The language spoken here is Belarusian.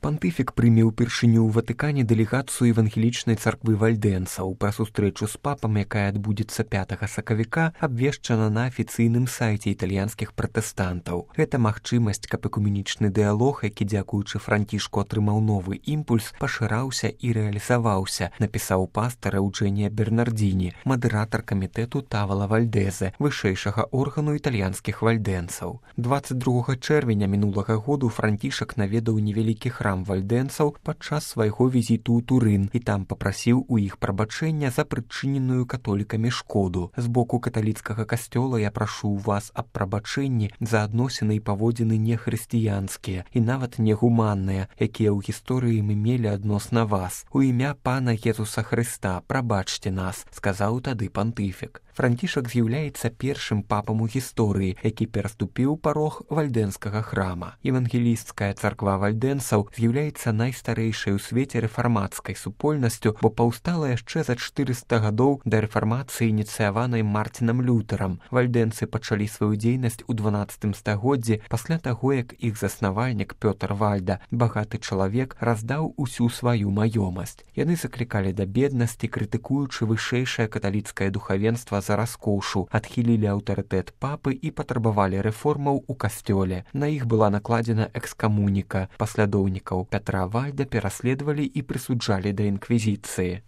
Пантыфік прыме ўпершыню ў Ватыкане дэлегацыю евангелічнай царквы вальдэнцаў. Пра сустрэчу з папам, якая адбудзецца 5 сакавіка, абвешчана на афіцыйным сайце італьянскіх пратэстантаў. Гэта магчымасць, каб экуменічны дыялог, які дзякуючы Францішку атрымаў новы імпульс, пашыраўся і рэалізаваўся, напісаў пастар Эўджэнія Бернардзіні, мадэратар камітэту Тавала Вальдэзе, вышэйшага органу італьянскіх вальдэнцаў. 22 чэрвеня мінулага году Францішак наведаў невялікі храм вальдэнцаў падчас свайго візіту ў Турын і там папрасіў у іх прабачэння за прычыненую католікамі шкоду. З боку каталіцкага касцёла я прашу вас аб прабачэнні за адносіны і паводзіны нехрысціянскія і нават негуманныя, якія ў гісторыі мы мелі адносна вас. У імя Пана Езуса Хрыста прабачце нас, сказаў тады пантыфік. Францішак з'яўляецца першым папам у гісторыі, які пераступіў парог вальдэнскага храма. Евангелісцкая царква вальдэнцаў з'яўляецца найстарэйшай у свеце рэфармацкай супольнасцю, бо паўстала яшчэ за 400 гадоў да рэфармацыі, ініцыяванай Мартінам Лютэрам. Вальдэнцы пачалі сваю дзейнасць у 12 стагоддзі пасля таго, як іх заснавальнік Пётр Вальда, багаты чалавек, раздаў усю сваю маёмасць. Яны заклікалі да беднасці, крытыкуючы вышэйшае каталіцкае духавенства за раскошу, адхілілі аўтарытэт папы і патрабавалі рэформаў у касцёле. На іх была накладзена экскамуніка. Паслядоўнікаў Пятра Вальда пераследавалі і прысуджалі да інквізіцыі.